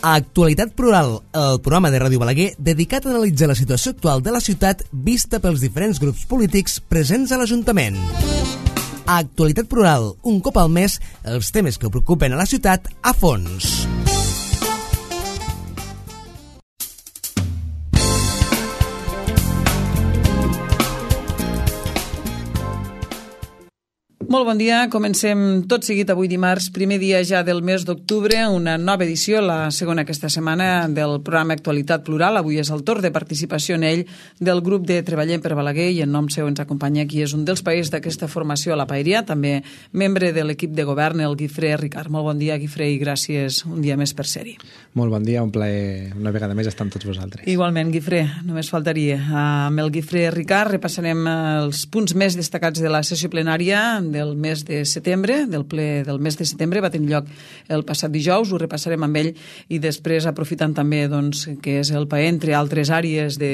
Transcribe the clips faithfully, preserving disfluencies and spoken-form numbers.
Actualitat Plural, el programa de Ràdio Balaguer dedicat a analitzar la situació actual de la ciutat vista pels diferents grups polítics presents a l'Ajuntament. Actualitat Plural, un cop al mes, els temes que preocupen a la ciutat a fons. Molt bon dia, comencem tot seguit avui dimarts, primer dia ja del mes d'octubre, una nova edició, la segona aquesta setmana del programa Actualitat Plural. Avui és el torn de participació en ell del grup de Treballem per Balaguer i en nom seu ens acompanya qui és un dels paers d'aquesta formació a la Paeria, també membre de l'equip de govern, el Guifré Ricard. Molt bon dia, Guifré, i gràcies un dia més per ser-hi. Molt bon dia, un plaer una vegada més estar amb tots vosaltres. Igualment, Guifré, només faltaria. Amb el Guifré Ricard repassarem els punts més destacats de la sessió plenària del mes de setembre, del ple del mes de setembre, va tenir lloc el passat dijous, ho repassarem amb ell i després aprofitant també doncs, que és el paer, entre altres àrees de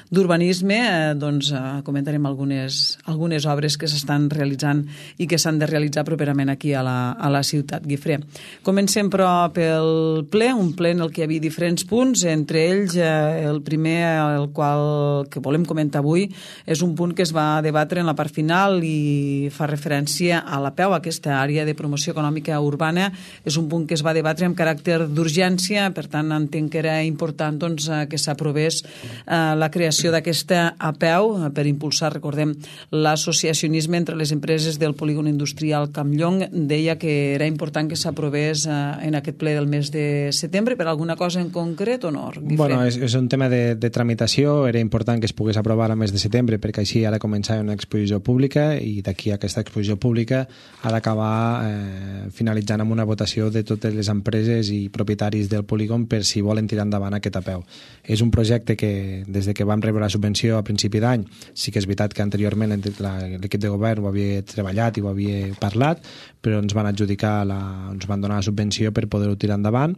d'urbanisme, eh, doncs eh, comentarem algunes, algunes obres que s'estan realitzant i que s'han de realitzar properament aquí a la, a la ciutat, Guifré. Comencem però pel ple, un ple en el que hi havia diferents punts, entre ells eh, el primer, el qual que volem comentar avui, és un punt que es va debatre en la part final i fa referència a la P E U, aquesta àrea de promoció econòmica urbana. És un punt que es va debatre amb caràcter d'urgència, per tant entenc que era important doncs, que s'aprovés eh, la creació d'aquesta A P E U per impulsar, recordem, l'associacionisme entre les empreses del polígon industrial Campllong. Deia que era important que s'aprovés en aquest ple del mes de setembre. Per alguna cosa en concret o no? Guifré? Bueno, és, és un tema de, de tramitació. Era important que es pogués aprovar al mes de setembre perquè així ha de començar una exposició pública i d'aquí a aquesta exposició pública ha d'acabar eh, finalitzant amb una votació de totes les empreses i propietaris del polígon per si volen tirar endavant aquest A P E U. És un projecte que des de que vam rebre la subvenció a principi d'any, sí que és veritat que anteriorment l'equip de govern ho havia treballat i ho havia parlat, però ens van adjudicar, la, ens van donar la subvenció per poder-ho tirar endavant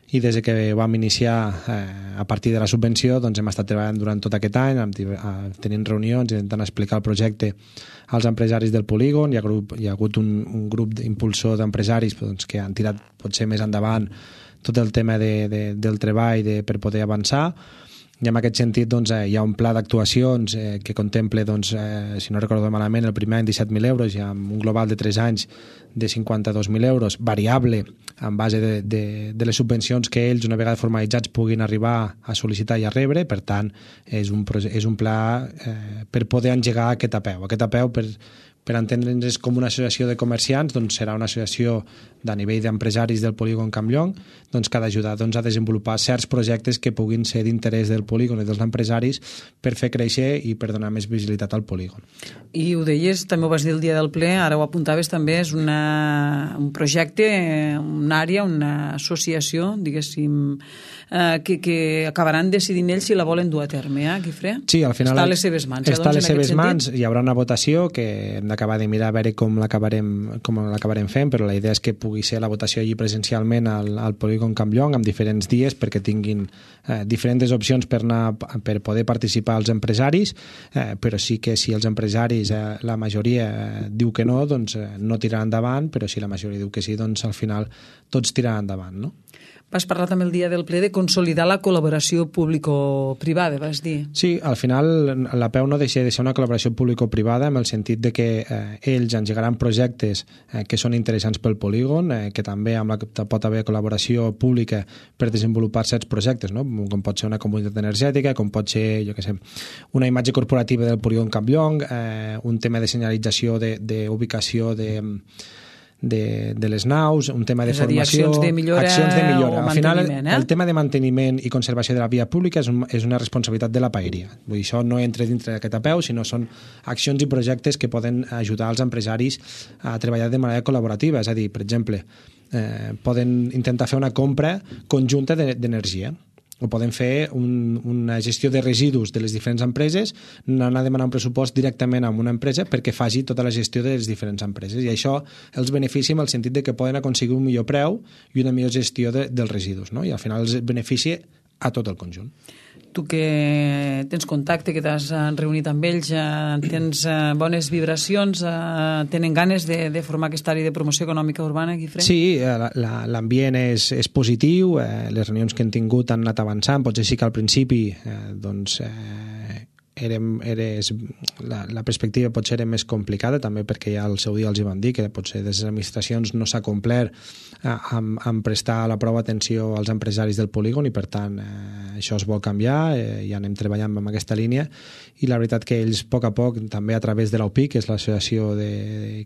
i des que vam iniciar eh, a partir de la subvenció doncs hem estat treballant durant tot aquest any, tenint reunions, intentant explicar el projecte als empresaris del polígon. Hi ha, grup, hi ha hagut un, un grup d'impulsor d'empresaris doncs, que han tirat potser més endavant tot el tema de, de, del treball de, per poder avançar. I en aquest sentit doncs, eh, hi ha un pla d'actuacions eh, que contempla, doncs, eh, si no recordo malament, el primer any disset mil euros i amb un global de tres anys de cinquanta-dos mil euros, variable en base de, de, de les subvencions que ells, una vegada formalitzats, puguin arribar a sol·licitar i a rebre. Per tant, és un, és un pla eh, per poder engegar aquest A P E U. Aquest A P E U, per, per entendre'ns, és com una associació de comerciants, doncs serà una associació de nivell d'empresaris del polígon Campllong, doncs que ha d'ajudar doncs, a desenvolupar certs projectes que puguin ser d'interès del polígon i dels empresaris per fer créixer i per donar més visibilitat al polígon. I ho deies, també ho vas dir el dia del ple, ara ho apuntaves també, és una, un projecte, una àrea, una associació, diguéssim, eh, que, que acabaran decidint ells si la volen dur a terme, eh, Guifré? Sí, al final... Està a les seves mans. Està eh, doncs, a les seves mans, hi haurà una votació que hem d'acabar de mirar a veure com l'acabarem com l'acabarem fent, però la idea és que pugui ser la votació allí presencialment al, al polígon Campllong amb diferents dies perquè tinguin eh, diferents opcions per, anar, per poder participar els empresaris, eh, però sí que si els empresaris, eh, la majoria eh, diu que no, doncs eh, no tiraran endavant, però si la majoria diu que sí, doncs al final tots tiraran endavant, no? Vas parlar també el dia del ple de consolidar la col·laboració público-privada, vas dir. Sí, al final la P E U no deixa de ser una col·laboració público-privada en el sentit de que eh, ells engegaran projectes eh, que són interessants pel polígon, eh, que també amb la, pot haver col·laboració pública per desenvolupar certs projectes, no? Com pot ser una comunitat energètica, com pot ser, jo què sé, una imatge corporativa del polígon Campllong, eh, un tema de senyalització d'ubicació de, de De, de les naus, un tema de és formació, dir, accions de millora, accions de millora. Al final, eh? el tema de manteniment i conservació de la via pública és, un, és una responsabilitat de la Paeria. Vull dir, això no entra dintre d'aquest A P E U, sinó són accions i projectes que poden ajudar els empresaris a treballar de manera col·laborativa. És a dir, per exemple, eh, poden intentar fer una compra conjunta d'energia. O poden fer un, una gestió de residus de les diferents empreses, anar a demanar un pressupost directament a una empresa perquè faci tota la gestió de les diferents empreses. I això els beneficia en el sentit de que poden aconseguir un millor preu i una millor gestió de, dels residus, no? I al final els beneficia a tot el conjunt. Tu que tens contacte, que t'has reunit amb ells, tens bones vibracions, tenen ganes de, de formar aquesta àrea de promoció econòmica urbana, Guifré? Sí, l'ambient és, és positiu, eh, les reunions que hem tingut han anat avançant, potser sí que al principi eh, doncs, eh, érem, eres, la, la perspectiva potser era més complicada, també perquè ja al seu dia els hi van dir que potser des de les administracions no s'ha complert eh, amb, amb prestar la prou atenció als empresaris del polígon i per tant eh, això es vol canviar, eh, ja anem treballant amb aquesta línia i la veritat que ells a poc a poc, també a través de l'A U P I, que és l'associació de,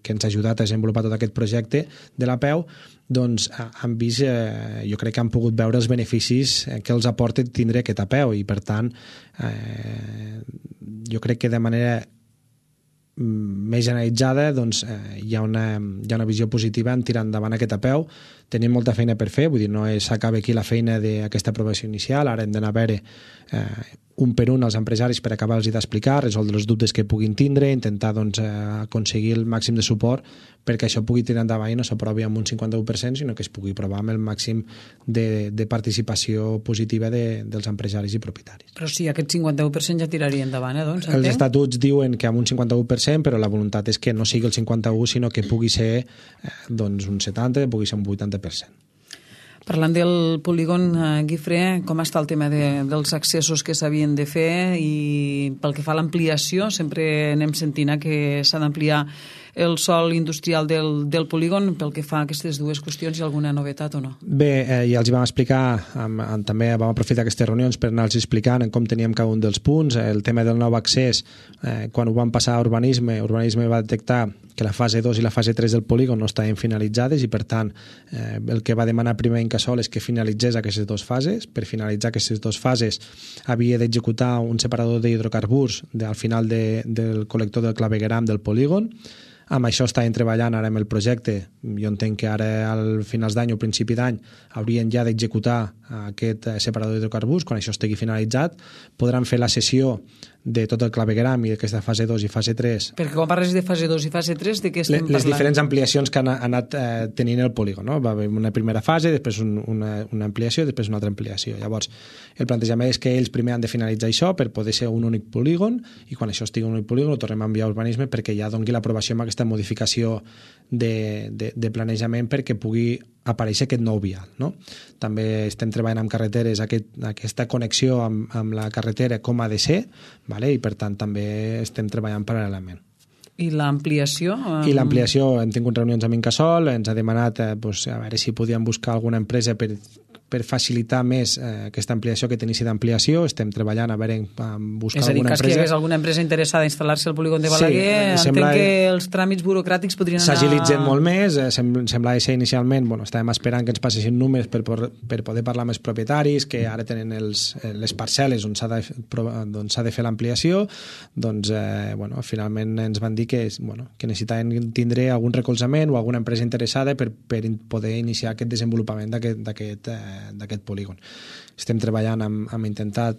que ens ha ajudat a desenvolupar tot aquest projecte de la P E U, doncs han vist, eh, jo crec que han pogut veure els beneficis que els aporta tindre aquesta P E U i per tant eh, jo crec que de manera més generalitzada doncs, eh, hi, ha una, hi ha una visió positiva en tirar endavant aquesta P E U. Tenim molta feina per fer, vull dir, no s'acaba aquí la feina d'aquesta aprovació inicial, ara hem d'anar a veure eh, un per un als empresaris per acabar-los d'explicar, resoldre els dubtes que puguin tindre, intentar doncs, eh, aconseguir el màxim de suport perquè això pugui tirar endavant i no s'aprovi amb un cinquanta-u per cent, sinó que es pugui aprovar amb el màxim de, de participació positiva de, dels empresaris i propietaris. Però sí, aquest cinquanta-u per cent ja tiraria endavant, eh, doncs, els estatuts diuen que amb un cinquanta-u per cent, però la voluntat és que no sigui el cinquanta-u, sinó que pugui ser eh, doncs un setanta, pugui ser un vuitanta per cent. Parlant del polígon, eh, Guifré, com està el tema de, dels accessos que s'havien de fer i pel que fa a l'ampliació, sempre anem sentint que s'ha d'ampliar el sòl industrial del, del polígon, pel que fa a aquestes dues qüestions, hi ha alguna novetat o no? Bé, eh, ja els hi vam explicar, amb, amb, també vam aprofitar aquestes reunions per anar-los explicant com teníem cada un dels punts, el tema del nou accés, eh, quan ho vam passar a urbanisme, urbanisme va detectar que la fase dos i la fase tres del polígon no estaven finalitzades i per tant eh, el que va demanar primer Incasòl és que finalitzés aquestes dues fases. Per finalitzar aquestes dues fases havia d'executar un separador d'hidrocarburs al final de, del col·lector del clavegueram del polígon. Amb això estàvem treballant ara amb el projecte. Jo entenc que ara al finals d'any o principi d'any haurien ja d'executar aquest separador d'hidrocarburs. Quan això estigui finalitzat podran fer la sessió de tot el clavegueram i d'aquesta fase dos i fase tres. Perquè quan parles de fase dos i fase tres, de què estem les, parlant? Les diferents ampliacions que han anat eh, tenint el polígon, no? Va haver una primera fase, després un, una, una ampliació, després una altra ampliació. Llavors, el plantejament és que ells primer han de finalitzar això per poder ser un únic polígon i quan això estigui un únic polígon ho tornem a enviar a urbanisme perquè ja doni l'aprovació amb aquesta modificació de, de, de planejament perquè pugui aparèixer aquest nou vial, no? També estem treballant amb carreteres, aquest, aquesta connexió amb, amb la carretera com ha de ser, vale? I per tant també estem treballant paral·lelament. I l'ampliació? Um... I l'ampliació, hem tingut reunions amb Incasòl, ens ha demanat eh, pues, a veure si podíem buscar alguna empresa per per facilitar més eh, aquesta ampliació, aquest inici d'ampliació. Estem treballant a veure en buscar alguna empresa. És a dir, que si hi hagués alguna empresa interessada a instal·lar-se al polígon de Balaguer, sí, entenc que els tràmits burocràtics podrien anar... S'agilitzen molt més, eh, semblava ser inicialment, bueno, estàvem esperant que ens passessin números per, per poder parlar amb els propietaris, que ara tenen els, les parcel·les on s'ha de, on s'ha de fer l'ampliació, doncs, eh, bueno, finalment ens van dir que, bueno, que necessitaven tindre algun recolzament o alguna empresa interessada per, per poder iniciar aquest desenvolupament d'aquest eh, d'aquest polígon. Estem treballant amb, amb intentar,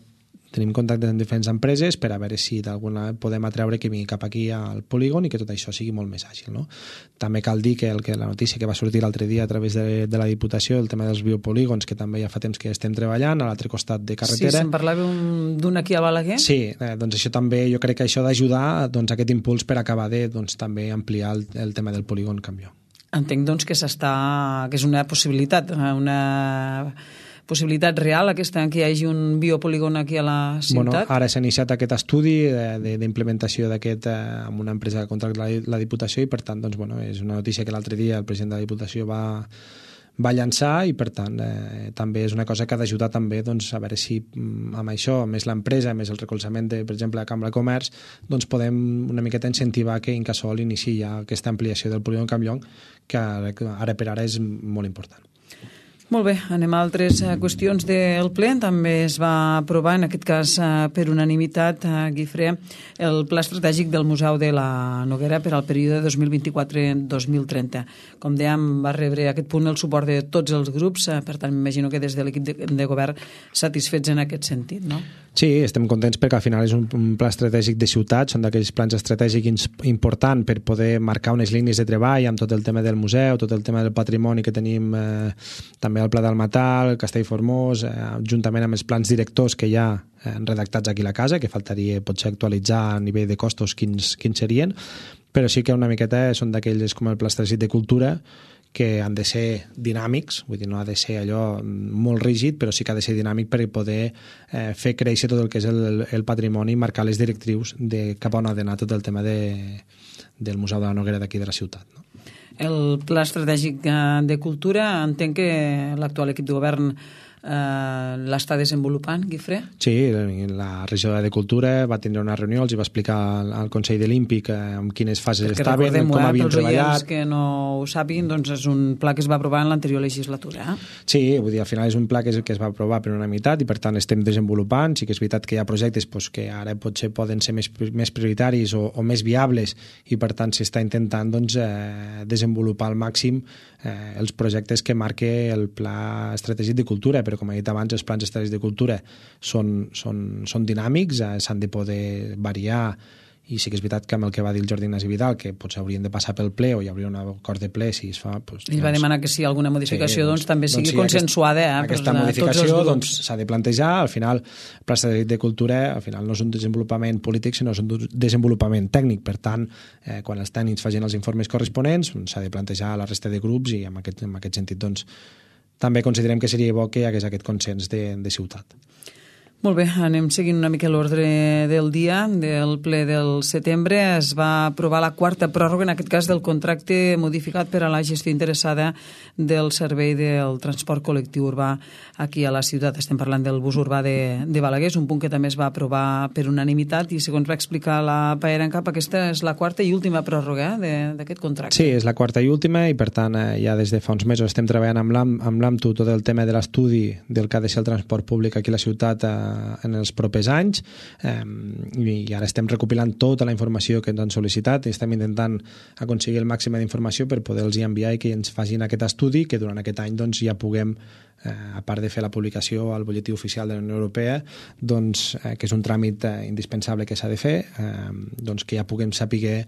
tenim contactes amb diferents empreses per a veure si d'alguna podem atreure que vingui cap aquí al polígon i que tot això sigui molt més àgil, no? També cal dir que, el, que la notícia que va sortir l'altre dia a través de, de la Diputació, el tema dels biopolígons, que també ja fa temps que estem treballant a l'altre costat de carretera. Sí, se'n parlava d'un aquí a Balaguer? Sí, eh, doncs això també, jo crec que això d'ajudar doncs, aquest impuls per acabar de doncs, també ampliar el, el tema del polígon Campió. Entenc doncs que s'està, que és una possibilitat, una possibilitat real aquesta que hi hagi un biopolígon aquí a la ciutat? Bueno, ara s'ha iniciat aquest estudi d'implementació d'aquest eh, amb una empresa que contracta la, la Diputació i per tant doncs, bueno, és una notícia que l'altre dia el president de la Diputació va, va llançar i per tant eh, també és una cosa que ha d'ajudar també doncs, a veure si amb això, més l'empresa, més el recolzament de, per exemple, la Cambra de Comerç, doncs podem una miqueta incentivar que Incasòl iniciï ja aquesta ampliació del polígon Campllong que ara per ara és molt important. Molt bé, anem a altres qüestions del ple. També es va aprovar, en aquest cas per unanimitat, a Guifré, el pla estratègic del Museu de la Noguera per al període dos mil vint-i-quatre a dos mil trenta. Com dèiem, va rebre aquest punt el suport de tots els grups, per tant, m'imagino que des de l'equip de, de govern satisfets en aquest sentit, no? Sí, estem contents perquè al final és un, un pla estratègic de ciutat, són d'aquells plans estratègics importants per poder marcar unes línies de treball amb tot el tema del museu, tot el tema del patrimoni que tenim eh, també el Pla del Matal, el Castellformós, eh, juntament amb els plans directors que hi ha eh, redactats aquí a la casa, que faltaria potser actualitzar a nivell de costos quins, quins serien, però sí que una miqueta són d'aquells com el Pla Estratègic de Cultura, que han de ser dinàmics, vull dir, no ha de ser allò molt rígid, però sí que ha de ser dinàmic per poder eh, fer créixer tot el que és el, el patrimoni i marcar les directrius de cap a on ha d'anar tot el tema de, del Museu de la Noguera d'aquí de la ciutat. No? El Pla Estratègic de Cultura, entenc que l'actual equip de govern Uh, l'està desenvolupant, Guifré? Sí, la regidora de Cultura va tindre una reunió, els va explicar al, al Consell de l'Ímpic eh, en quines fases Perquè estaven, com eh, havien treballat. Els que no ho sàpiguen, doncs és un pla que es va aprovar en l'anterior legislatura. Eh? Sí, vull dir, al final és un pla que es, que es va aprovar per unanimitat i per tant estem desenvolupant. Sí que és veritat que hi ha projectes pues, que ara potser poden ser més, més prioritaris o, o més viables i per tant s'està intentant doncs, eh, desenvolupar al màxim eh, els projectes que marque el Pla Estratègic de Cultura, però com he dit abans, els plans estratègics de cultura són, són, són dinàmics, eh, s'han de poder variar i sí que és veritat que amb el que va dir el Jordi Ignasi Vidal, que potser haurien de passar pel ple o hi hauria un acord de ple si es fa... Doncs, Ell va doncs, demanar que si alguna modificació sí, doncs, doncs, també sigui doncs, sí, consensuada. Eh, aquesta modificació s'ha doncs, de plantejar, al final el Pla Estratègic de Cultura al final no és un desenvolupament polític sinó és un desenvolupament tècnic, per tant eh, quan els tècnics facin els informes corresponents s'ha de plantejar a la resta de grups i en aquest, en aquest sentit doncs també considerem que seria bo que hi hagués aquest consens de, de ciutat. Molt bé, anem seguint una mica l'ordre del dia del ple del setembre. Es va aprovar la quarta pròrroga, en aquest cas del contracte modificat per a la gestió interessada del servei del transport col·lectiu urbà aquí a la ciutat. Estem parlant del bus urbà de, de Balaguer, és un punt que també es va aprovar per unanimitat i segons va explicar la Paera en Cap, aquesta és la quarta i última pròrroga eh, d'aquest contracte. Sí, és la quarta i última i per tant eh, ja des de fa uns mesos estem treballant amb l'A M T U tot el tema de l'estudi del que ha de ser el transport públic aquí a la ciutat eh, en els propers anys eh, i ara estem recopilant tota la informació que ens han sol·licitat i estem intentant aconseguir el màxim d'informació per poder-los enviar i que ens facin aquest estudi que durant aquest any doncs, ja puguem eh, a part de fer la publicació al butlletí oficial de la Unió Europea doncs, eh, que és un tràmit eh, indispensable que s'ha de fer eh, doncs, que ja puguem saber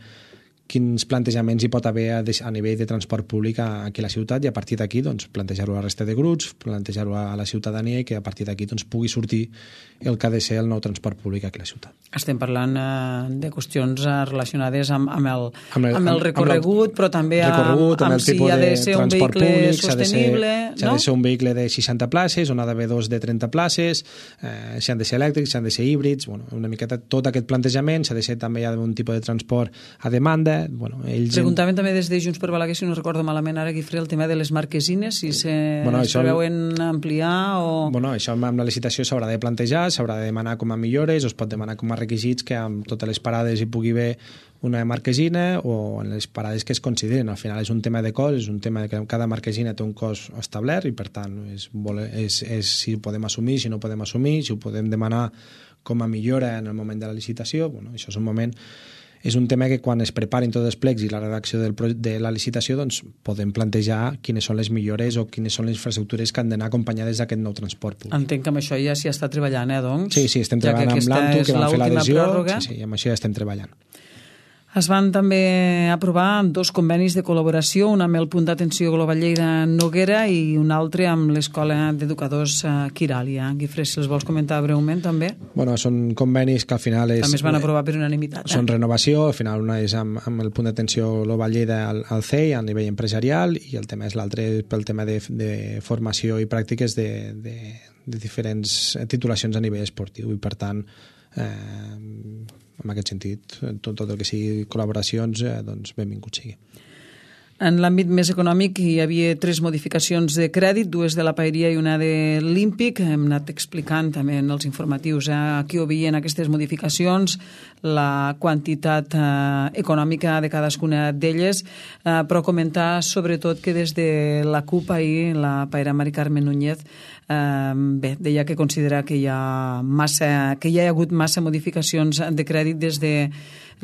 quins plantejaments hi pot haver a, a nivell de transport públic aquí a la ciutat i a partir d'aquí doncs, plantejar-ho a la resta de grups, plantejar-ho a la ciutadania i que a partir d'aquí doncs, pugui sortir el que ha de ser el nou transport públic aquí a la ciutat. Estem parlant eh, de qüestions eh, relacionades amb, amb, el, amb, el, amb el recorregut, amb però també amb, amb, amb si ha de ser un vehicle públic, sostenible. S'ha de, no? de ser un vehicle de seixanta places, on ha d'haver dos de trenta places, eh, si han de ser elèctrics, si han de ser híbrids, bueno, una miqueta tot aquest plantejament, s'ha de ser també hi ha un tipus de transport a demanda. Bueno, ells Preguntaven en... també des de Junts per Balaguer, si no recordo malament ara, Guifré, el tema de les marquesines, si se bueno, es preveuen ampliar o... Bueno, això amb la licitació s'haurà de plantejar, s'haurà de demanar com a millores, o es pot demanar com a requisits que amb totes les parades hi pugui haver una marquesina o en les parades que es considerin. Al final és un tema de cost, és un tema que cada marquesina té un cost establert i per tant és, és, és si ho podem assumir, si no ho podem assumir, si ho podem demanar com a millora en el moment de la licitació. Bueno, això és un moment... És un tema que quan es preparin tots els plecs i la redacció del, de la licitació doncs podem plantejar quines són les millores o quines són les infraestructures que han d'anar acompanyades d'aquest nou transport públic. Entenc que amb això ja s'hi està treballant, eh, doncs? Sí, sí, estem treballant amb l'A M T U, que vam fer l'adhesió. Sí, sí, amb això ja estem treballant. Es van també aprovar dos convenis de col·laboració, un amb el punt d'atenció Global Lleida Noguera i un altre amb l'Escola d'Educadors Quiràlia. Guifré, si els vols comentar breument també? Bueno, són convenis que al final és... També es van aprovar per unanimitat. Eh? Són renovació, al final una és amb, amb el punt d'atenció Global Lleida al, al C E I, a nivell empresarial, i el tema és l'altre pel tema de, de formació i pràctiques de, de, de diferents titulacions a nivell esportiu i per tant eh, en aquest sentit, tot, tot el que sigui col·laboracions, eh, doncs benvingut sigui. En l'àmbit més econòmic hi havia tres modificacions de crèdit, dues de la Paeria i una de l'Ímpic. Hem anat explicant també en els informatius eh, a qui obvien aquestes modificacions, la quantitat eh, econòmica de cadascuna d'elles, eh, però comentar sobretot que des de la CUP ahir, la Paera Mari Carmen Núñez, eh, bé, deia que considera que hi ha massa, que hi ha hagut massa modificacions de crèdit des de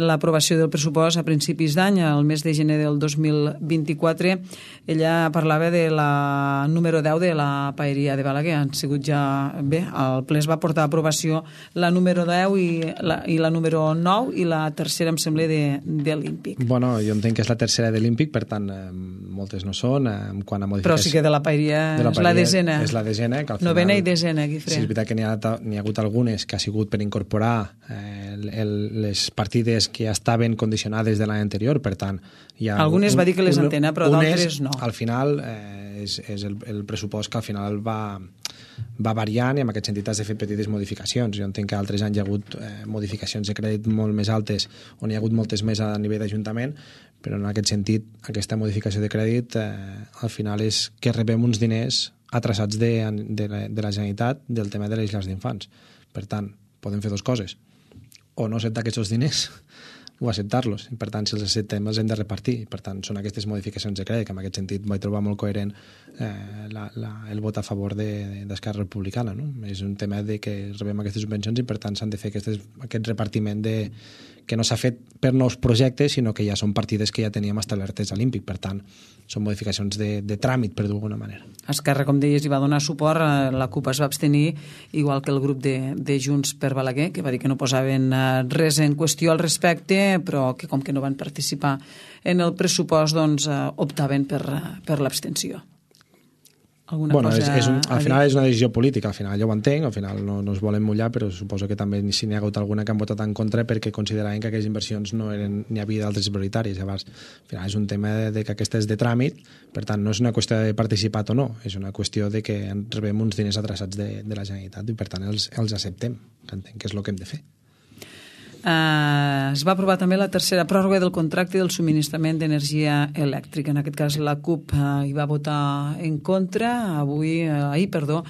l'aprovació del pressupost a principis d'any, al mes de gener del dos mil vint-i-quatre. Ella parlava de la número deu de la paeria de Balaguer. Han sigut ja... Bé, el ple es va portar a aprovació la número deu i la, i la número nou, i la tercera, em sembla, de, de l'Ímpic. Bueno, jo entenc que és la tercera de l'Ímpic, per tant, eh, moltes no són. Eh, quan a modificació... Però sí que de la paeria, de la paeria és la desena. És la desena, que al final... Novena i desena, Guifré. Sí, és veritat que n'hi ha, n'hi ha hagut algunes que ha sigut per incorporar eh, el, el, les partides que ja estaven condicionades de l'any anterior, per tant... Hi ha algunes un, va dir que les un, entena, però d'altres no. Al final eh, és, és el, el pressupost que al final va, va variant, i en aquest sentit has de fer petites modificacions. Jo entenc que altres anys hi ha hagut eh, modificacions de crèdit molt més altes, on hi ha hagut moltes més a nivell d'Ajuntament, però en aquest sentit aquesta modificació de crèdit eh, al final és que rebem uns diners atrasats de, de, la, de la Generalitat del tema de les llars d'infants. Per tant, podem fer dues coses: o no acceptar aquests diners o acceptar-los. Per tant, si els acceptem els hem de repartir. Per tant, són aquestes modificacions de crèdit, que en aquest sentit vaig trobar molt coherent eh, la, la, el vot a favor d'Esquerra de, Republicana. No? És un tema de que rebem aquestes subvencions i per tant s'han de fer aquestes, aquest repartiment de, que no s'ha fet per nous projectes, sinó que ja són partides que ja teníem establertes a l'Ímpic. Per tant, són modificacions de, de tràmit, per d'alguna manera. Esquerra, com deies, hi va donar suport. La CUP es va abstenir, igual que el grup de, de Junts per Balaguer, que va dir que no posaven res en qüestió al respecte, però que com que no van participar en el pressupost, doncs optaven per, per l'abstenció. Alguna bueno, cosa és, és un, al final és una decisió política, al final jo ho entenc, al final no, no es volen mullar, però suposo que també si n'hi ha hagut alguna que han votat en contra perquè consideraven que aquelles inversions no eren, n'hi havia d'altres prioritàries. Llavors, al final és un tema de, de que aquesta és de tràmit, per tant no és una qüestió de participat o no, és una qüestió de que rebem uns diners atrasats de, de la Generalitat i per tant els, els acceptem, que entenc que és el que hem de fer. Uh, es va aprovar també la tercera pròrroga del contracte del subministrament d'energia elèctrica. En aquest cas la CUP uh, hi va votar en contra. Avui, uh, ahir, perdó,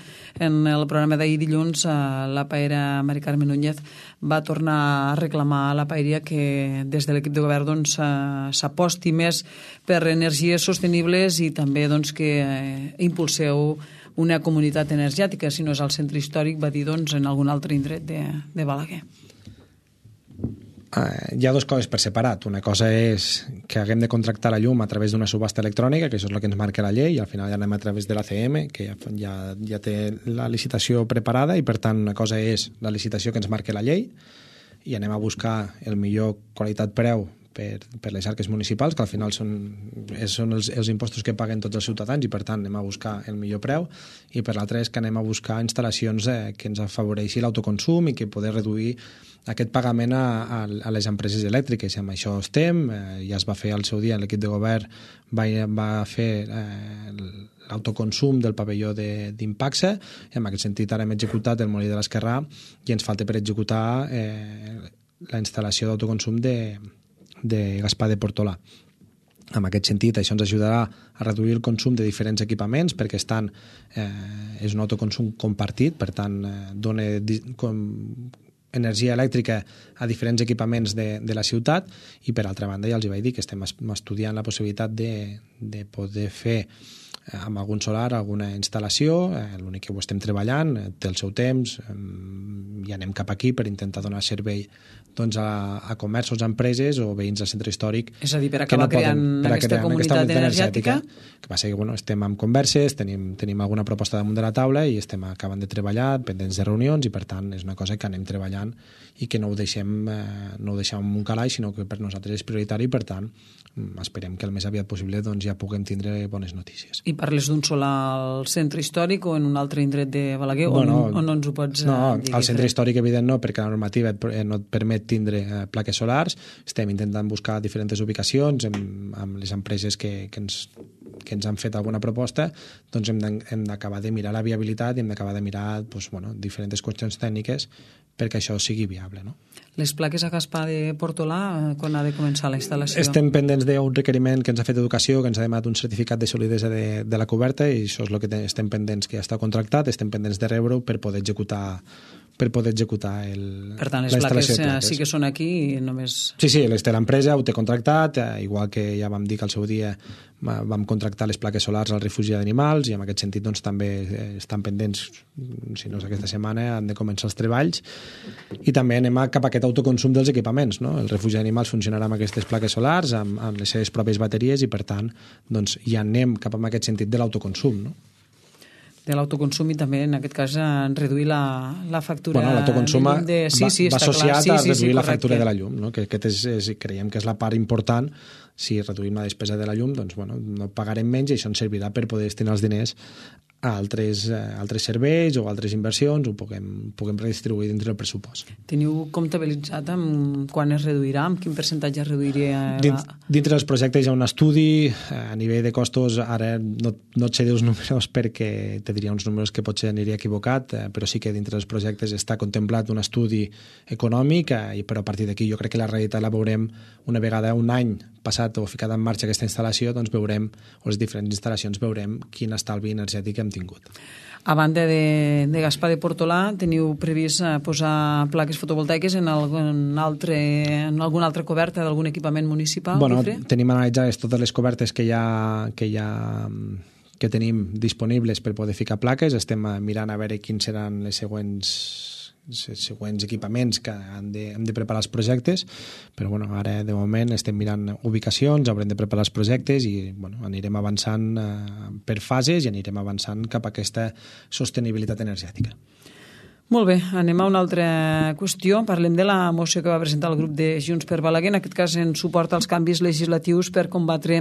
en el programa d'ahir dilluns, uh, la paera Mari Carmen Núñez va tornar a reclamar a la paeria que des de l'equip de govern doncs, uh, s'aposti més per energies sostenibles i també doncs, que uh, impulseu una comunitat energètica, si no és al centre històric, va dir doncs, en algun altre indret de, de Balaguer. Uh, hi ha dues coses per separat. Una cosa és que haguem de contractar la llum a través d'una subhasta electrònica, que això és el que ens marca la llei, i al final ja anem a través de l'A C M, que ja, ja, ja té la licitació preparada, i per tant una cosa és la licitació que ens marca la llei, i anem a buscar el millor qualitat-preu per, per les arques municipals, que al final són, són els, els impostos que paguen tots els ciutadans, i per tant anem a buscar el millor preu, i per l'altre és que anem a buscar instal·lacions eh, que ens afavoreixi l'autoconsum i que poder reduir aquest pagament a, a, a les empreses elèctriques. I amb això estem, eh, ja es va fer al seu dia, l'equip de govern va, va fer eh, l'autoconsum del pavelló d'Impaxa, i en aquest sentit ara hem executat el molí de l'Esquerrà i ens falta per executar eh, la instal·lació d'autoconsum de de Gaspar de Portolà. En aquest sentit, això ens ajudarà a reduir el consum de diferents equipaments perquè estan, eh, és un autoconsum compartit, per tant, eh, dona com, energia elèctrica a diferents equipaments de, de la ciutat, i per altra banda ja els hi vaig dir que estem estudiant la possibilitat de, de poder fer eh, amb algun solar alguna instal·lació, eh, l'únic que ho estem treballant, eh, té el seu temps, eh, i anem cap aquí per intentar donar servei doncs, a, a comerços, a empreses o veïns del centre històric. És a dir, per acabar no creant poden, per aquesta crear comunitat aquesta energètica. Que passa que bueno, estem en converses, tenim, tenim alguna proposta damunt de la taula i estem acabant de treballar, pendents de reunions, i per tant és una cosa que anem treballant i que no ho deixem, eh, no ho deixem en un calaix, sinó que per nosaltres és prioritari, i per tant esperem que el més aviat possible doncs, ja puguem tindre bones notícies. I parles d'un solar al centre històric o en un altre indret de Balaguer, bueno, o, no, o no ens ho pots no, dir? Al centre històric evident no, perquè la normativa no et permet tindre eh, plaques solars. Estem intentant buscar diferents ubicacions amb, amb les empreses que, que, ens, que ens han fet alguna proposta, doncs hem d'acabar de mirar la viabilitat i hem d'acabar de mirar doncs, bueno, diferents qüestions tècniques perquè això sigui viable. No? Les plaques a Gaspar de Portolà, quan ha de començar la instal·lació? Estem pendents d'un requeriment que ens ha fet Educació, que ens ha demanat un certificat de solidesa de, de la coberta, i això és el que estem pendents, que ja està contractat, estem pendents de rebre-ho per poder executar per poder executar el, per tant, les plaques, plaques sí que són aquí i només... Sí, sí, les té l'empresa, ho té contractat, eh, igual que ja vam dir que al seu dia vam contractar les plaques solars al refugi d'animals i en aquest sentit doncs, també estan pendents, si no és aquesta setmana, han de començar els treballs i també anem a, cap a aquest autoconsum dels equipaments. No? El refugi d'animals funcionarà amb aquestes plaques solars, amb, amb les seves pròpies bateries i per tant doncs, ja anem cap a aquest sentit de l'autoconsum. No? De l'autoconsum i també en aquest cas en reduir la, la factura bueno, l'autoconsum de llum de... sí, sí, va, va associat sí, a reduir sí, sí, la factura de la llum, no? que aquest és, és, creiem que és la part important. Si reduïm la despesa de la llum, doncs bueno, no pagarem menys i això ens servirà per poder destinar els diners a altres, a altres serveis o altres inversions, ho puguem, puguem redistribuir dintre del pressupost. Teniu comptabilitzat amb quan es reduirà, amb quin percentatge es reduiria? Dins, dintre dels projectes hi ha un estudi, a nivell de costos, ara no, no et sé dir els números perquè te diria uns números que potser aniria equivocat, però sí que dintre dels projectes està contemplat un estudi econòmic, però a partir d'aquí jo crec que la realitat la veurem una vegada un any passat o ficat en marxa aquesta instal·lació, doncs veurem, o les diferents instal·lacions, veurem quin estalvi energètic hem tingut. A banda de, de Gaspar de Portolà, teniu previst posar plaques fotovoltaiques en algun altre, en alguna altra coberta d'algun equipament municipal? Bueno, Guifré? Tenim analitzades totes les cobertes que hi ha, que hi ha que tenim disponibles per poder ficar plaques. Estem mirant a veure quins seran les següents següents equipaments que han de, hem de preparar els projectes, però bueno, ara de moment estem mirant ubicacions, haurem de preparar els projectes i bueno, anirem avançant eh, per fases i anirem avançant cap a aquesta sostenibilitat energètica. Molt bé, anem a una altra qüestió. Parlem de la moció que va presentar el grup de Junts per Balaguer, en aquest cas en suport als canvis legislatius per combatre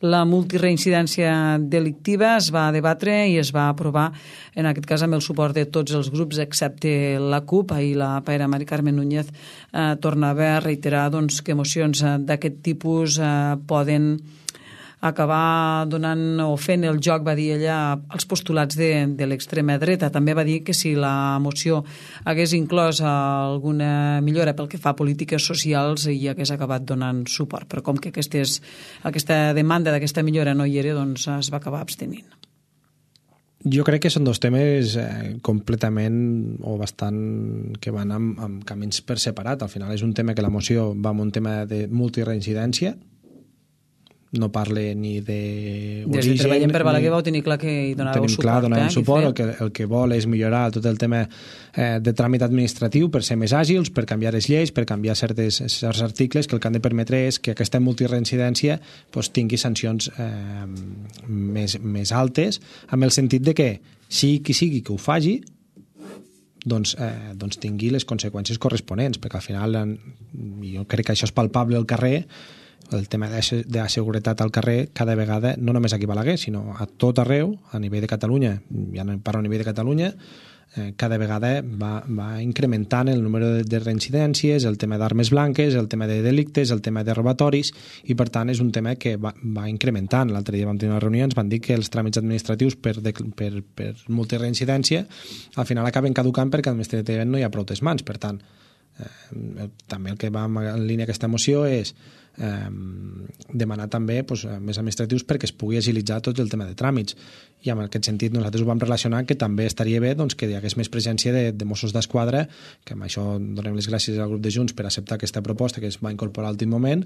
la multireincidència delictiva. Es va debatre i es va aprovar, en aquest cas amb el suport de tots els grups excepte la CUP. Ahir la paira Mari Carmen Núñez eh, tornava a reiterar doncs, que mocions eh, d'aquest tipus eh, poden acabar donant o fent el joc, va dir ella, als postulats de, de l'extrema dreta. També va dir que si la moció hagués inclòs alguna millora pel que fa a polítiques socials hi hagués acabat donant suport, però com que aquestes, aquesta demanda d'aquesta millora no hi era, doncs es va acabar abstenint. Jo crec que són dos temes eh, completament o bastant que van amb, amb camins per separat. Al final és un tema que la moció va amb un tema de multireincidència, no parle ni de origen... Des de Treballem per Balaguer vau tenir clar que hi donàveu suport. Clar, donàvem eh, suport. El que, el que vol és millorar tot el tema eh, de tràmit administratiu per ser més àgils, per canviar les lleis, per canviar certes, certs articles que el que han de permetre és que aquesta multireincidència pues, tingui sancions eh, més, més altes, amb el sentit de que sigui qui sigui que ho faci, doncs, eh, doncs tingui les conseqüències corresponents, perquè al final jo crec que això és palpable al carrer. El tema de la seguretat al carrer cada vegada, no només aquí a Balaguer, sinó a tot arreu, a nivell de Catalunya, ja no parlo a nivell de Catalunya, eh, cada vegada va, va incrementant el número de, de reincidències, el tema d'armes blanques, el tema de delictes, el tema de robatoris, i per tant és un tema que va, va incrementant. L'altre dia vam tenir una reunió, ens van dir que els tràmits administratius per, de, per, per multireincidència al final acaben caducant perquè administrativament no hi ha prou mans. Per tant, eh, també el que va en línia aquesta moció és Eh, demanar també pues, més administratius perquè es pugui agilitzar tot el tema de tràmits, i en aquest sentit nosaltres ho vam relacionar que també estaria bé doncs, que hi hagués més presència de, de Mossos d'Esquadra, que amb això donem les gràcies al grup de Junts per acceptar aquesta proposta que es va incorporar a l'últim moment,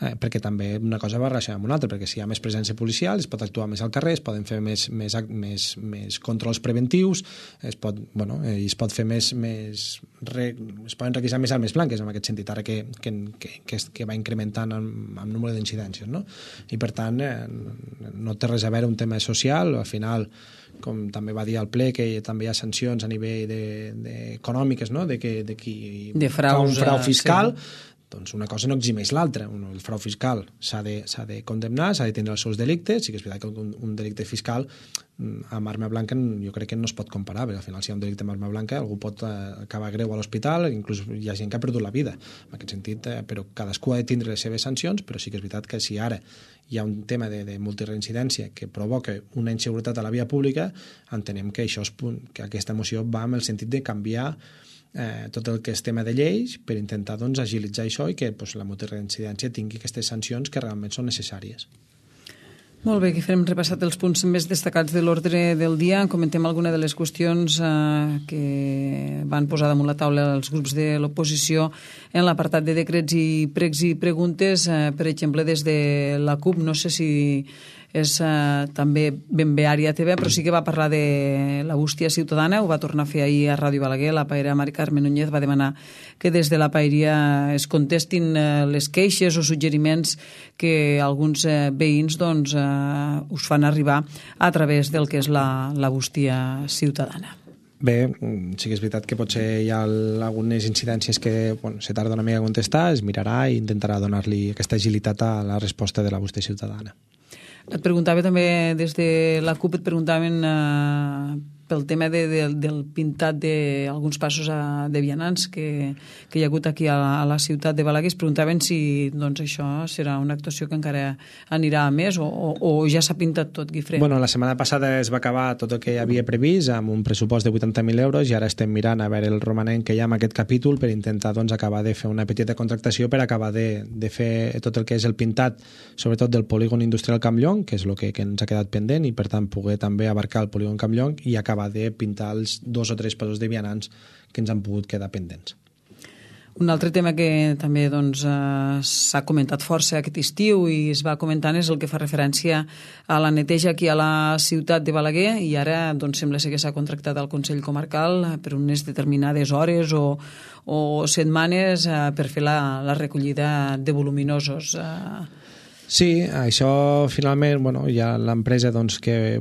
eh, perquè també una cosa va relacionar amb una altra, perquè si hi ha més presència policial es pot actuar més al carrer, es poden fer més, més, més, més controls preventius, es pot, bueno, eh, es pot fer més, més re, es poden requisar més armes blanques en aquest sentit, ara que, que, que, que, que va incrementant amb, amb número d'incidències, no? I per tant eh, no té res a veure un tema social. Al final, com també va dir al ple, que també hi ha sancions a nivell de, de econòmiques, no? De, que, de qui de fa un frau fiscal, sí. Doncs una cosa no eximeix l'altra. El frau fiscal s'ha de, s'ha de condemnar, s'ha de tindre els seus delictes. Sí que és veritat que un, un delicte fiscal amb arma blanca jo crec que no es pot comparar, perquè al final si hi ha un delicte amb arma blanca algú pot eh, acabar greu a l'hospital, inclús hi ha gent que ha perdut la vida en aquest sentit, eh, però cadascú ha de tindre les seves sancions. Però sí que és veritat que si ara hi ha un tema de, de multireincidència que provoca una inseguretat a la via pública, entenem que, això és, que aquesta moció va amb el sentit de canviar eh, tot el que és tema de lleis per intentar doncs, agilitzar això i que pues, la multireincidència tingui aquestes sancions que realment són necessàries. Molt bé, Guifré, hem repassat els punts més destacats de l'ordre del dia. Comentem alguna de les qüestions eh, que van posar damunt la taula els grups de l'oposició en l'apartat de decrets i pregs i preguntes. Eh, per exemple, des de la CUP, no sé si és eh, també ben bé àrea T V, però sí que va parlar de la bústia ciutadana, ho va tornar a fer ahir a Ràdio Balaguer. La paella Mari Carme Núñez va demanar que des de la paeria es contestin eh, les queixes o suggeriments que alguns eh, veïns doncs, eh, us fan arribar a través del que és la, la bústia ciutadana. Bé, sí que és veritat que potser hi ha algunes incidències que bueno, se tarda una mica a contestar, es mirarà i intentarà donar-li aquesta agilitat a la resposta de la bústia ciutadana. Et preguntava també, des de la CUP, et preguntaven eh, pel tema de, de, del pintat d'alguns passos a, de vianants que, que hi ha hagut aquí a la, a la ciutat de Balaguer. Es preguntaven si doncs, això serà una actuació que encara anirà a més o, o, o ja s'ha pintat tot, Guifré. Bueno, la setmana passada es va acabar tot el que hi havia previst amb un pressupost de vuitanta mil euros i ara estem mirant a veure el romanent que hi ha en aquest capítol per intentar doncs, acabar de fer una petita contractació per acabar de, de fer tot el que és el pintat, sobretot del polígon industrial Campllong, que és el que, que ens ha quedat pendent i per tant poder també abarcar el polígon Campllong i acabar de pintar els dos o tres passos de vianants que ens han pogut quedar pendents. Un altre tema que també doncs, eh, s'ha comentat força aquest estiu i es va comentant és el que fa referència a la neteja aquí a la ciutat de Balaguer i ara doncs, sembla ser que s'ha contractat al Consell Comarcal per unes determinades hores o, o setmanes eh, per fer la, la recollida de voluminosos. Eh. Sí, això finalment bueno, hi ha l'empresa doncs, que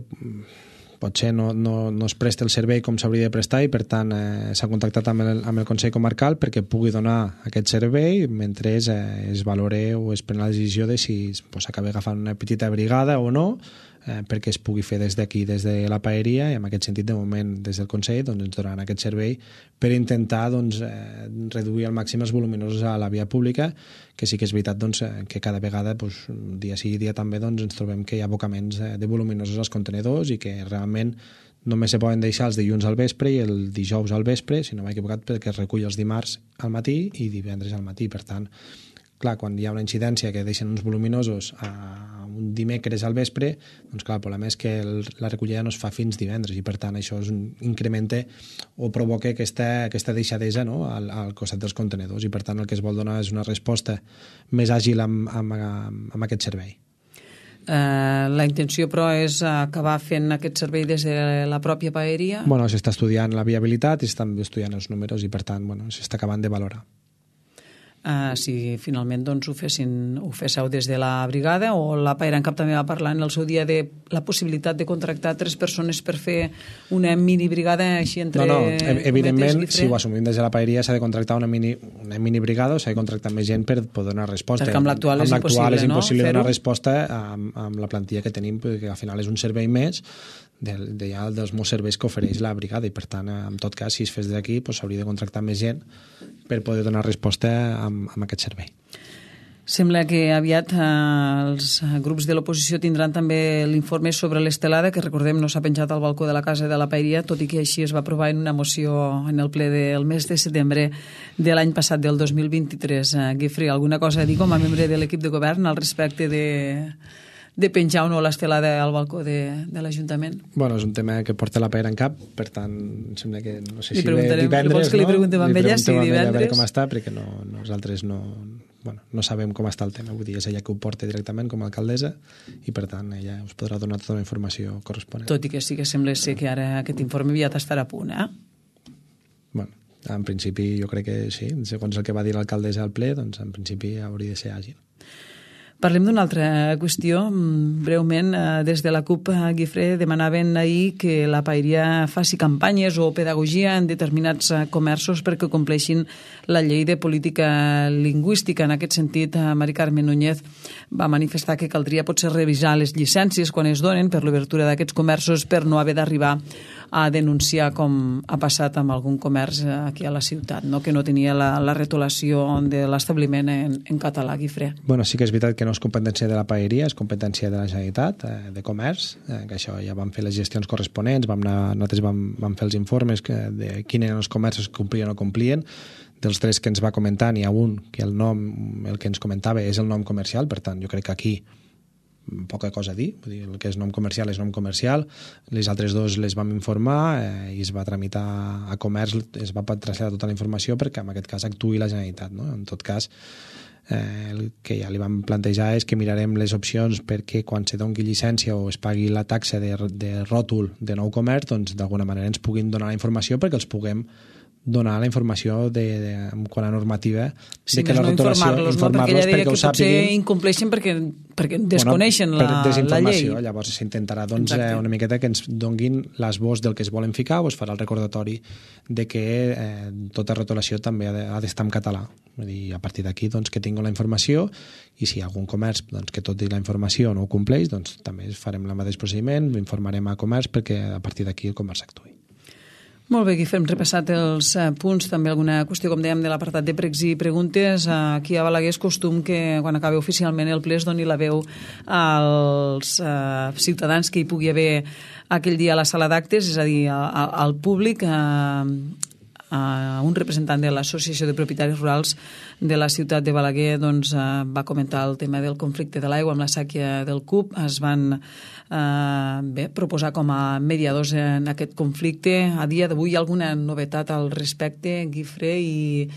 potser no, no, no es presta el servei com s'hauria de prestar i per tant eh, s'ha contactat amb el, amb el Consell Comarcal perquè pugui donar aquest servei mentre es, eh, es valore o es pren la decisió de si pues, s'acaba agafant una petita brigada o no eh, perquè es pugui fer des d'aquí, des de la paeria i en aquest sentit de moment des del Consell doncs, ens donaran aquest servei per intentar doncs, eh, reduir al màxim els voluminosos a la via pública que sí que és veritat doncs, que cada vegada doncs, dia sí dia també doncs, ens trobem que hi ha abocaments de voluminosos als contenedors i que realment només se poden deixar els dilluns al vespre i el dijous al vespre, si no m'he equivocat, perquè es recull els dimarts al matí i divendres al matí. Per tant, clar, quan hi ha una incidència que deixen uns voluminosos a un dimecres al vespre, doncs clar, el problema és que el, la recollida no es fa fins divendres i per tant això és un incrementa o provoca aquesta, aquesta deixadesa no? al, al costat dels contenedors i per tant el que es vol donar és una resposta més àgil amb, amb, amb, amb aquest servei. Uh, la intenció, però, és acabar fent aquest servei des de la pròpia paeria? Bueno, s'està estudiant la viabilitat i s'estan estudiant els números i, per tant, bueno, s'està acabant de valorar. Uh, si finalment doncs, ho, fessin, ho féssiu des de la brigada o la Paera en Cap també va parlar en el seu dia de la possibilitat de contractar tres persones per fer una mini brigada així entre... No, no, evidentment, si ho assumim des de la paeria s'ha de contractar una mini, una mini brigada o s'ha de contractar més gent per poder donar resposta. Perquè amb l'actual és impossible, és impossible no? donar resposta amb, amb la plantilla que tenim, perquè al final és un servei més de, de ja dels molts serveis que ofereix la brigada i per tant, en tot cas, si es fes d'aquí s'hauria de contractar més gent per poder donar resposta amb, amb aquest servei. Sembla que aviat eh, els grups de l'oposició tindran també l'informe sobre l'estelada, que recordem no s'ha penjat al balcó de la casa de la Paeria, tot i que així es va aprovar en una moció en el ple del mes de setembre de l'any passat, del dos mil vint-i-tres. Eh, Guifré, alguna cosa a dir com a membre de l'equip de govern al respecte de... de penjar o no l'estelada al balcó de, de l'Ajuntament? Bueno, és un tema que porta la Paera en cap, per tant, em sembla que no sé li si ve divendres, vols que li preguntem no? amb ella si divendres? A veure com està, perquè no, nosaltres no, bueno, no sabem com està el tema, vull dir, és ella que ho porta directament com a alcaldessa i per tant ella us podrà donar tota la informació corresponent. Tot i que sí que sembla ser que ara aquest informe aviat estarà a punt, eh? Bueno, en principi jo crec que sí, segons el que va dir l'alcaldessa al ple, doncs en principi hauria de ser àgil. Parlem d'una altra qüestió. Breument, des de la CUP, Guifré, demanaven ahir que la Paeria faci campanyes o pedagogia en determinats comerços perquè compleixin la llei de política lingüística. En aquest sentit, Mari Carme Núñez va manifestar que caldria potser revisar les llicències quan es donen per l'obertura d'aquests comerços per no haver d'arribar a denunciar com ha passat amb algun comerç aquí a la ciutat, no? Que no tenia la, la retolació de l'establiment en, en català, Guifré. Bueno, sí que és veritat que no és competència de la Paeria, és competència de la Generalitat, eh, de Comerç, eh, que això ja vam fer les gestions corresponents, vam anar, nosaltres vam, vam fer els informes que, de quins eren els comerços que complien o complien. Dels tres que ens va comentar n'hi ha un que el nom, el que ens comentava és el nom comercial, per tant jo crec que aquí poca cosa a dir, vull dir, el que és nom comercial és nom comercial, les altres dos les vam informar eh, i es va tramitar a comerç, es va traslladar tota la informació perquè en aquest cas actuï la Generalitat, no? En tot cas, eh, el que ja li vam plantejar és que mirarem les opcions perquè quan se doni llicència o es pagui la taxa de, de ròtol de nou comerç, doncs d'alguna manera ens puguin donar la informació perquè els puguem donar la informació de, de, quant a normativa sí, de que la no rotulació informar-los, no? Perquè ella deia que potser incompleixen perquè, perquè desconeixen bueno, la, per la llei. Llavors s'intentarà doncs, eh, una miqueta que ens donguin l'esbós del que es volen ficar o es farà el recordatori de que eh, tota rotulació també ha d'estar en català. Vull dir, a partir d'aquí doncs, que tinguin la informació i si hi ha algun comerç doncs, que tot i la informació no ho compleix, doncs també farem el mateix procediment, informarem a comerç perquè a partir d'aquí el comerç actuï. Molt bé, Guifré, hem repassat els eh, punts, també alguna qüestió, com dèiem, de l'apartat de pregs i preguntes. Aquí a Balaguer és costum que quan acabi oficialment el ple es doni la veu als eh, ciutadans que hi pugui haver aquell dia a la sala d'actes, és a dir, a, a, al públic, a, a un representant de l'Associació de Propietaris Rurals de la ciutat de Balaguer doncs, eh, va comentar el tema del conflicte de l'aigua amb la sèquia del Cup. Es van eh, bé, proposar com a mediadors en aquest conflicte. A dia d'avui hi ha alguna novetat al respecte, Guifré? I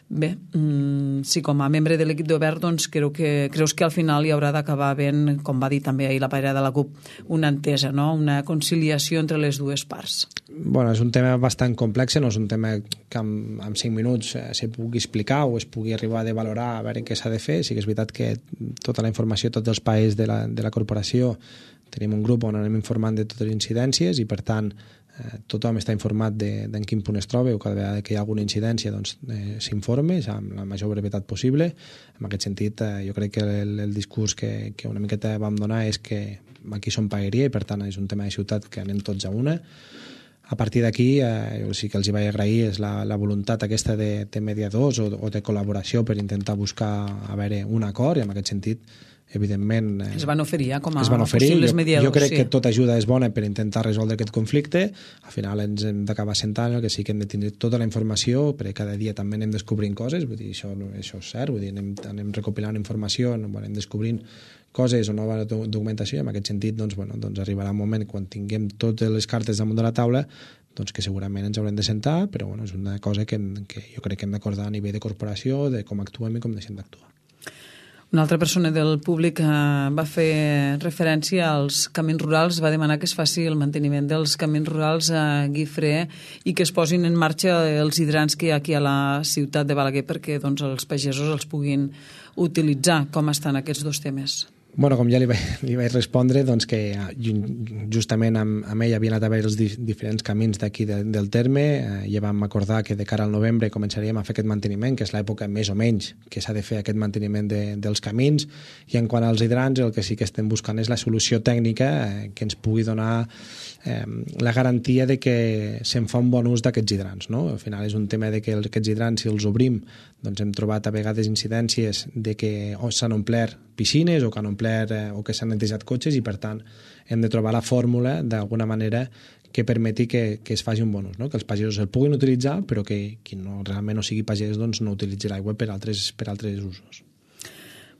bé, mm, sí, com a membre de l'equip de govern, doncs, creu que, creus que al final hi haurà d'acabar havent, com va dir també ahir la pairada de la CUP, una entesa, no? Una conciliació entre les dues parts. Bueno, és un tema bastant complex, no és un tema que en, en cinc minuts eh, se pugui explicar o es pugui arribar a valorar a veure què s'ha de fer. Sí que és veritat que tota la informació, tots els països de la, de la corporació, tenim un grup on anem informant de totes les incidències i, per tant, eh, tothom està informat de, de en quin punt es troba o cada vegada que hi ha alguna incidència doncs, eh, s'informe amb la major brevetat possible. En aquest sentit, eh, jo crec que el, el discurs que, que una miqueta vam donar és que aquí som paeria i, per tant, és un tema de ciutat que anem tots a una. A partir d'aquí, eh, jo sí que els hi vaig agrair és la, la voluntat aquesta de, de mediadors o, o de col·laboració per intentar buscar a veure un acord, i en aquest sentit, evidentment... Eh, es van oferir eh, com a oferir. possibles jo, mediadors. Jo crec sí. que tota ajuda és bona per intentar resoldre aquest conflicte. Al final ens hem d'acabar sentant, el que sí que hem de tenir tota la informació, perquè cada dia també anem descobrint coses, vull dir, això, això és cert, vull dir, anem, anem recopilant informació, anem descobrint coses o nova documentació, i en aquest sentit doncs, bueno, doncs arribarà un moment quan tinguem totes les cartes damunt de la taula doncs que segurament ens haurem de sentar, però bueno, és una cosa que, que jo crec que hem d'acordar a nivell de corporació, de com actuem i com deixem d'actuar. Una altra persona del públic eh, va fer referència als camins rurals, va demanar que es faci el manteniment dels camins rurals a Guifré i que es posin en marxa els hidrants que hi ha aquí a la ciutat de Balaguer perquè doncs, els pagesos els puguin utilitzar. Com estan aquests dos temes? Bueno, com ja li vaig, li vaig respondre, doncs que justament amb, amb ell havia anat a veure els di, diferents camins d'aquí de, del terme, eh, ja vam acordar que de cara al novembre començaríem a fer aquest manteniment, que és l'època més o menys que s'ha de fer aquest manteniment de, dels camins, i en quant als hidrants el que sí que estem buscant és la solució tècnica eh, que ens pugui donar eh, la garantia de que se'n fa un bon ús d'aquests hidrants, no? Al final és un tema de que aquests hidrants, si els obrim, doncs hem trobat a vegades incidències de que o s'han omplert piscines o que han omplert eh, o que s'han netejat cotxes, i per tant hem de trobar la fórmula d'alguna manera que permeti que, que es faci un bon ús, no? Que els pagesos el puguin utilitzar, però que qui no, realment no sigui pagès doncs no utilitzi l'aigua per altres, per altres usos.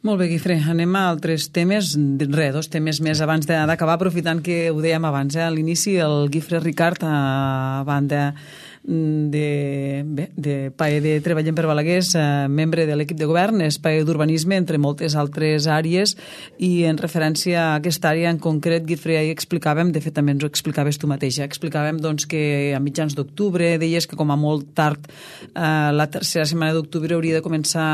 Molt bé, Guifré, anem a altres temes, re, dos temes més abans d'acabar, aprofitant que ho dèiem abans, eh? A l'inici el Guifré Ricart, a banda de, bé, de P A E de Treballem per Balaguer, eh, membre de l'equip de govern, és P A E d'Urbanisme, entre moltes altres àrees, i en referència a aquesta àrea en concret, Guifré, ahir explicàvem, de fet també ens ho explicaves tu mateixa, explicàvem doncs, que a mitjans d'octubre, deies que com a molt tard, eh, la tercera setmana d'octubre hauria de començar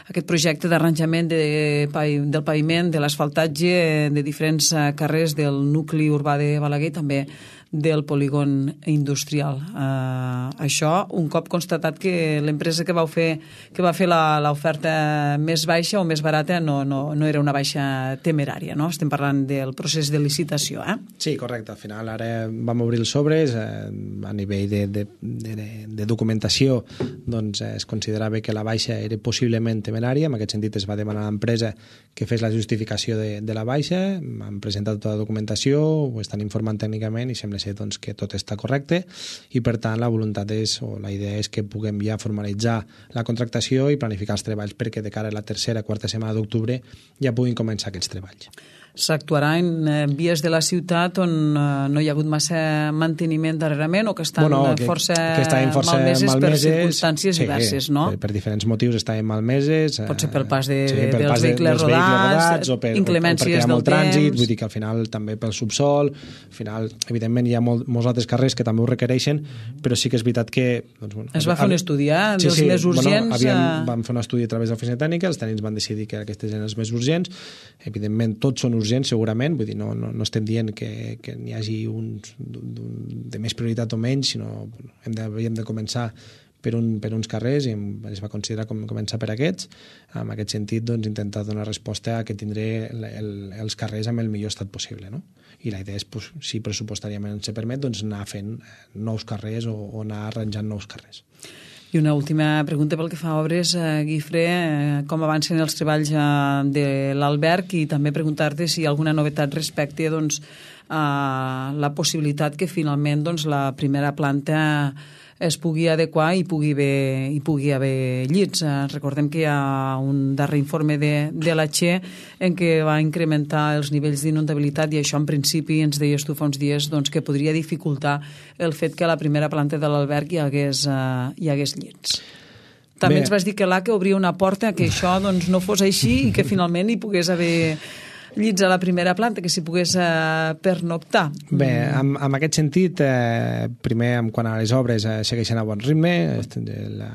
aquest projecte d'arranjament de, del paviment, de l'asfaltatge de diferents carrers del nucli urbà de Balaguer i també del polígon industrial. Uh, això, un cop constatat que l'empresa que vau fer que va fer l'oferta més baixa o més barata no, no, no era una baixa temerària, no? Estem parlant del procés de licitació, eh? Sí, correcte. Al final ara vam obrir els sobres, eh, a nivell de, de, de, de documentació doncs es considerava que la baixa era possiblement temerària, en aquest sentit es va demanar a l'empresa que fes la justificació de, de la baixa, han presentat tota la documentació, ho estan informant tècnicament i sembla ser doncs, que tot està correcte, i per tant la voluntat és, o la idea és que puguem ja formalitzar la contractació i planificar els treballs perquè de cara a la tercera, quarta setmana d'octubre ja puguin començar aquests treballs. s'actuarà en eh, vies de la ciutat on eh, no hi ha hagut massa manteniment darrerament o que estan bueno, que, força, que força malmeses, malmeses per circumstàncies sí, diverses, no? Per, per diferents motius estaven malmeses. Pot ser pel pas, de, sí, de, pel dels, pas vehicles de, dels rodats, vehicles rodats o, per, inclemències o perquè hi ha molt del trànsit, temps. Vull dir que al final també pel subsol, al final, evidentment, hi ha molt, molts altres carrers que també ho requereixen, però sí que és veritat que... Doncs, bueno, es va fer un estudi, eh? Sí, dels sí, més urgents. Bueno, havíem, eh... vam fer un estudi a través de l'oficina tècnica, els tècnics van decidir que aquestes eren els més urgents. Evidentment, tots són urgents, segurament, vull dir, no, no, no estem dient que, que n'hi hagi uns de més prioritat o menys, sinó hem de, havíem de començar per, un, per uns carrers i es va considerar com començar per aquests. En aquest sentit, doncs, intentar donar resposta a que tindré el, el, els carrers amb el millor estat possible, no? I la idea és, pues, si pressupostàriament se permet, doncs anar fent nous carrers o, o anar arranjant nous carrers. I una última pregunta pel que fa a obres, eh, Guifré, eh, com avancen els treballs eh, de l'alberg i també preguntar-te si hi ha alguna novetat respecte doncs, a la possibilitat que finalment doncs, la primera planta es pugui adequar i pugui haver, hi pugui haver llits. Eh, recordem que hi ha un darrer informe de, de la Che en què va incrementar els nivells d'inundabilitat i això en principi ens deies tu fa uns dies doncs, que podria dificultar el fet que a la primera planta de l'alberg hi hagués, eh, hi hagués llits. També Bé. ens vas dir que l'A C E obria una porta que això doncs, no fos així i que finalment hi pogués haver llits a la primera planta, que s'hi pogués eh, pernoctar. Bé, en, en aquest sentit, eh, primer, en quant a les obres, eh, segueixen a bon ritme. La,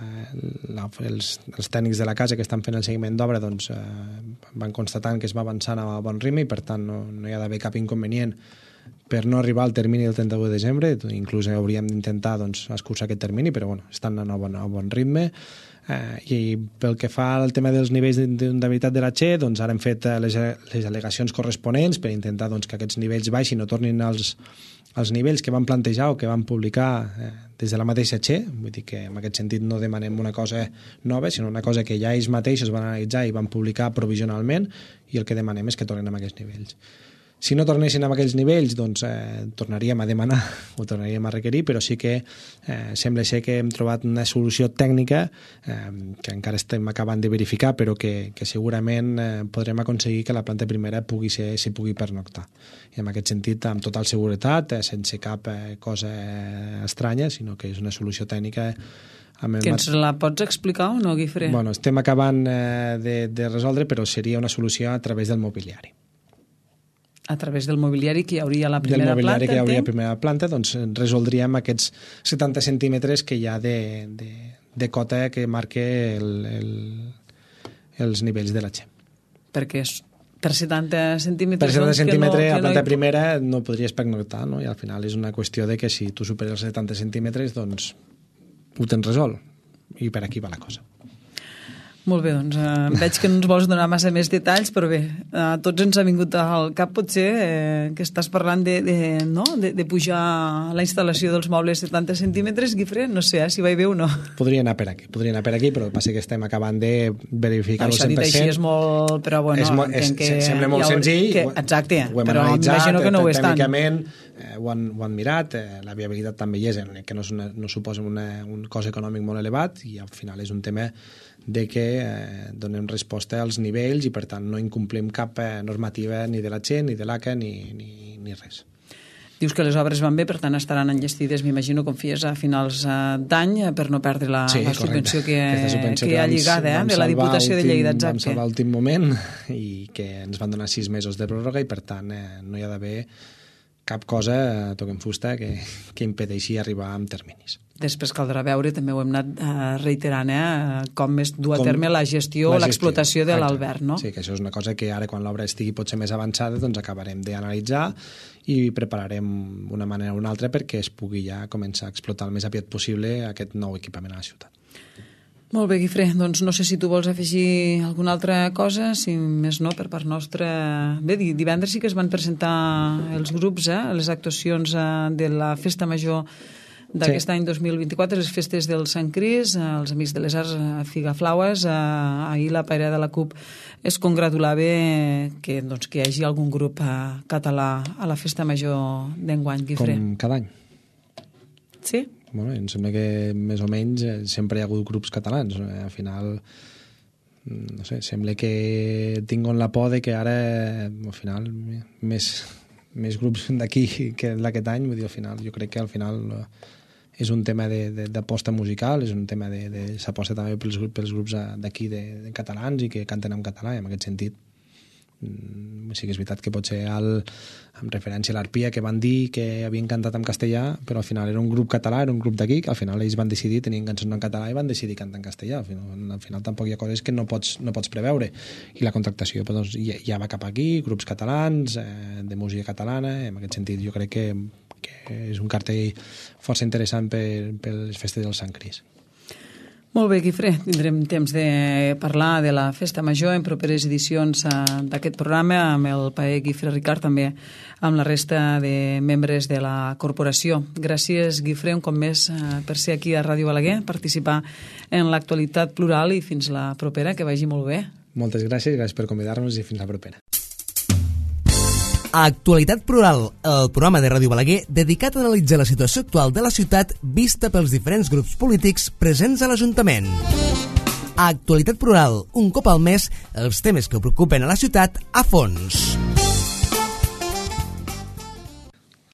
la, els, els tècnics de la casa que estan fent el seguiment d'obra doncs, eh, van constatant que es va avançant a bon ritme i, per tant, no, no hi ha d'haver cap inconvenient per no arribar al termini del trenta-u de desembre. Inclús hauríem d'intentar doncs, escurçar aquest termini, però bueno, estan a bon, a bon ritme. Eh, I pel que fa al tema dels nivells d'inundabilitat de la Che, doncs ara hem fet les, les al·legacions corresponents per intentar doncs, que aquests nivells baixin no tornin als, als nivells que van plantejar o que van publicar eh, des de la mateixa Che. Vull dir que en aquest sentit no demanem una cosa nova, sinó una cosa que ja ells mateixos van analitzar i van publicar provisionalment, i el que demanem és que tornin a aquests nivells. Si no tornessin a aquells nivells, doncs eh, tornaríem a demanar o tornaríem a requerir, però sí que eh, sembla ser que hem trobat una solució tècnica eh, que encara estem acabant de verificar, però que, que segurament eh, podrem aconseguir que la planta primera pugui ser, se pugui pernoctar. I en aquest sentit, amb total seguretat, eh, sense cap eh, cosa eh, estranya, sinó que és una solució tècnica. Amb el que ens la pots explicar o no, Guifré? Bueno, estem acabant eh, de, de resoldre, però seria una solució a través del mobiliari. A través del mobiliari que hi hauria a la primera planta. Del mobiliari planta, que hi hauria a la primera planta, doncs resoldríem aquests setanta centímetres que hi ha de, de, de cota que marca el, el, els nivells de la Che. Perquè és per setanta centímetres... Per setanta doncs, centímetres, no, a planta no hi... primera no podries pernoctar, no? I al final és una qüestió de que si tu superes els setanta centímetres, doncs ho tens resolt. I per aquí va la cosa. Molt bé, doncs eh, veig que no ens vols donar massa més detalls, però bé, a tots ens ha vingut al cap potser eh, que estàs parlant de, de, no? de, de pujar la instal·lació dels mobles setanta centímetres, Guifré, no sé eh, si va bé o no. Podria anar per aquí, podria anar per aquí, però passa que estem acabant de verificar-ho al cent per cent. Això dit així és molt... Però bueno, és molt, és, que sembla molt ha, senzill. Que, exacte, ho hem però m'imagino que no ho és tant. Tècnicament eh, ho, han, ho han mirat, eh, la viabilitat també hi és, que no, és una, no suposa una, un cost econòmic molt elevat i al final és un tema de que eh, donem resposta als nivells i per tant no incomplim cap eh, normativa ni de la Che, ni de l'A C E, ni, ni, ni res. Dius que les obres van bé, per tant estaran enllestides, m'imagino, com fies a finals d'any per no perdre la, sí, la subvenció que, subvenció que, que hi ha lligada eh, de la Diputació últim, de Lleida. Exacte. Vam salvar l'últim moment i que ens van donar sis mesos de pròrroga i per tant eh, no hi ha d'haver cap cosa, eh, toquem fusta, que, que impedeixi arribar amb terminis. Després caldrà veure, també ho hem anat uh, reiterant, eh, com es du a com terme la gestió o l'explotació de l'alberg, no? Sí, que això és una cosa que ara, quan l'obra estigui potser més avançada, doncs acabarem d'analitzar i prepararem una manera o una altra perquè es pugui ja començar a explotar el més aviat possible aquest nou equipament a la ciutat. Molt bé, Guifré, doncs no sé si tu vols afegir alguna altra cosa, si més no, per part nostra... Bé, divendres sí que es van presentar els grups, eh, les actuacions eh, de la Festa Major d'aquest sí. any dos mil vint-i-quatre, les festes del Sant Cris, els Amics de les Arts, Figaflaues. Ahir la paira de la CUP es congratulava que, doncs, que hi hagi algun grup català a la Festa Major d'enguany, Guifré. Com cada any. Sí? Bueno, em sembla que més o menys sempre hi ha hagut grups catalans. Al final no sé, sembla que tinguin la por de que ara, al final, més, més grups d'aquí que d'aquest any, vull dir, al final, jo crec que al final és un tema d'aposta musical, és un tema de, de s'aposta també pels, pels grups d'aquí de, de catalans i que canten en català, i en aquest sentit sí que és veritat que potser el, amb referència a l'Arpia, que van dir que havien cantat en castellà, però al final era un grup català, era un grup d'aquí, que al final ells van decidir, tenien cançons en català i van decidir cantar en castellà. Al final, al final tampoc hi ha coses que no pots, no pots preveure. I la contractació doncs, ja, ja va cap aquí, grups catalans, eh, de música catalana, en aquest sentit jo crec que, que és un cartell força interessant per, per les festes del Sant Cris. Molt bé, Guifré, tindrem temps de parlar de la Festa Major en properes edicions d'aquest programa amb el paer Guifré Ricart, també amb la resta de membres de la corporació. Gràcies, Guifré, un cop més per ser aquí a Ràdio Balaguer, participar en l'actualitat plural i fins la propera, que vagi molt bé. Moltes gràcies, gràcies per convidar-nos i fins la propera. Actualitat Plural, el programa de Ràdio Balaguer dedicat a analitzar la situació actual de la ciutat vista pels diferents grups polítics presents a l'Ajuntament. Actualitat Plural, un cop al mes, els temes que preocupen a la ciutat a fons.